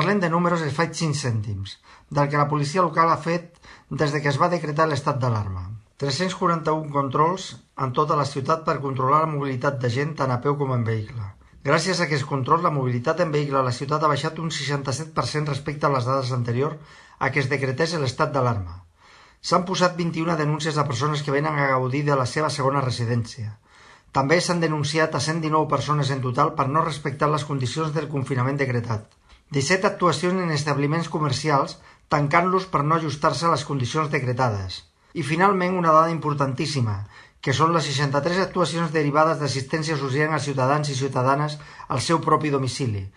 Parlem de números i faig 5 cèntims, del que la policia local ha fet des que es va decretar l'estat d'alarma. 341 controls en tota la ciutat per controlar la mobilitat de gent tant a peu com en vehicle. Gràcies a aquest control, la mobilitat en vehicle a la ciutat ha baixat un 67% respecte a les dades anteriors a que es decretés l'estat d'alarma. S'han posat 21 denúncies a persones que venen a gaudir de la seva segona residència. També s'han denunciat a 119 persones en total per no respectar les condicions del confinament decretat. 17 actuacions en establiments comercials, tancant-los per no ajustar-se a les condicions decretades. I finalment una dada importantíssima, que són les 63 actuacions derivades d'assistència social als ciutadans i ciutadanes al seu propi domicili,